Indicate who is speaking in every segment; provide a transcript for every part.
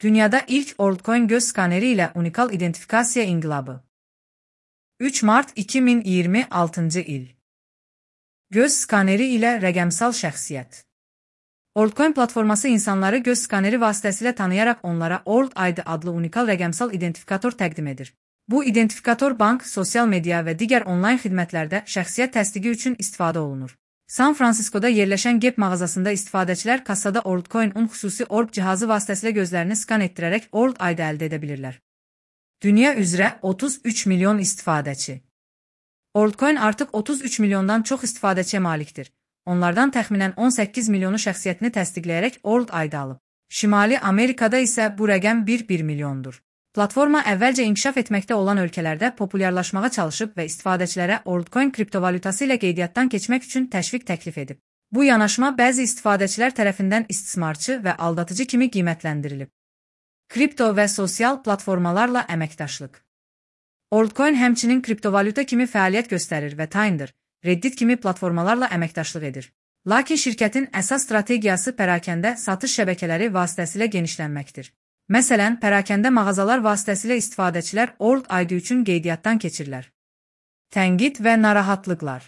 Speaker 1: Dünyada ilk altcoin göz skaneri ile unikal identifikasiya inqilabı. 3 Mart 2026 il. Göz skaneri ilə rəqəmsal şəxsiyyət. Altcoin platforması insanları göz skaneri vasitəsilə tanıyaraq onlara Alt ID adlı unikal rəqəmsal identifikator təqdim edir. Bu identifikator bank, sosial media və digər onlayn xidmətlərdə şəxsiyyət təsdiqi üçün istifadə olunur. San Fransiskoda yerləşən Gap mağazasında istifadəçilər kassada altcoin-un xüsusi orb cihazı vasitəsilə gözlərini skan etdirərək Alt ID əldə edə bilirlər. Dünya üzrə 33 milyon istifadəçi. Altcoin artıq 33 milyondan çox istifadəçiyə malikdir. Onlardan təxminən 18 milyonu şəxsiyyətini təsdiqləyərək Alt ID alıb. Şimali Amerikada isə bu rəqəm 1 milyondur. Platforma əvvəlcə inkişaf etməkdə olan ölkələrdə populyarlaşmağa çalışıb və istifadəçilərə altcoin kriptovalyutası ilə qeydiyyatdan keçmək üçün təşviq təklif edib. Bu yanaşma bəzi istifadəçilər tərəfindən istismarçı və aldadıcı kimi qiymətləndirilib. Kripto və sosial platformalarla əməkdaşlıq. Altcoin həmçinin kriptovalyuta kimi fəaliyyət göstərir və Tinder, Reddit kimi platformalarla əməkdaşlıq edir. Lakin şirkətin əsas strategiyası pərakəndə satış şəbəkələri vasitəsilə genişlənməkdir. Məsələn, pərakəndə mağazalar vasitəsilə istifadəçilər Alt ID üçün qeydiyyatdan keçirlər. Tənqid və narahatlıqlar.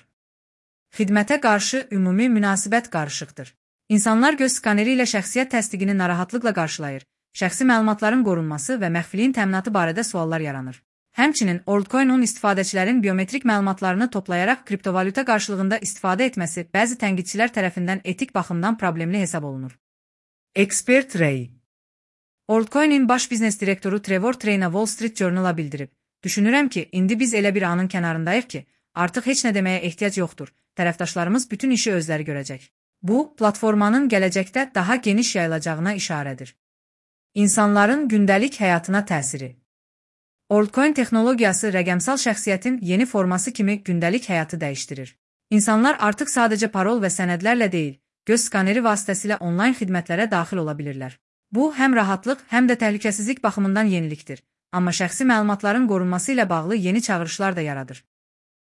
Speaker 1: Xidmətə qarşı ümumi münasibət qarışıqdır. İnsanlar göz skaneri ilə şəxsiyyət təsdiqini narahatlıqla qarşılayır, şəxsi məlumatların qorunması və məxfiliyin təminatı barədə suallar yaranır. Həmçinin altcoin-un istifadəçilərin biometrik məlumatlarını toplayaraq kriptovalyuta qarşılığında istifadə etməsi bəzi tənqidçilər tərəfindən etik baxımdan problemli hesab olunur. Expert Ray. Altcoin-in baş biznes direktoru Trevor Treyna Wall Street Journal-a bildirib. Düşünürəm ki, indi biz elə bir anın kənarındayıq ki, artıq heç nə deməyə ehtiyac yoxdur. Tərəfdaşlarımız bütün işi özləri görəcək. Bu, platformanın gələcəkdə daha geniş yayılacağına işarədir. İnsanların gündəlik həyatına təsiri. Altcoin texnologiyası rəqəmsal şəxsiyyətin yeni forması kimi gündəlik həyatı dəyişdirir. İnsanlar artıq sadəcə parol və sənədlərlə deyil, göz skaneri vasitəsilə onlayn xidmətlərə daxil ola bilirlər. Bu, həm rahatlıq, həm də təhlükəsizlik baxımından yenilikdir. Amma şəxsi məlumatların qorunması ilə bağlı yeni çağırışlar da yaradır.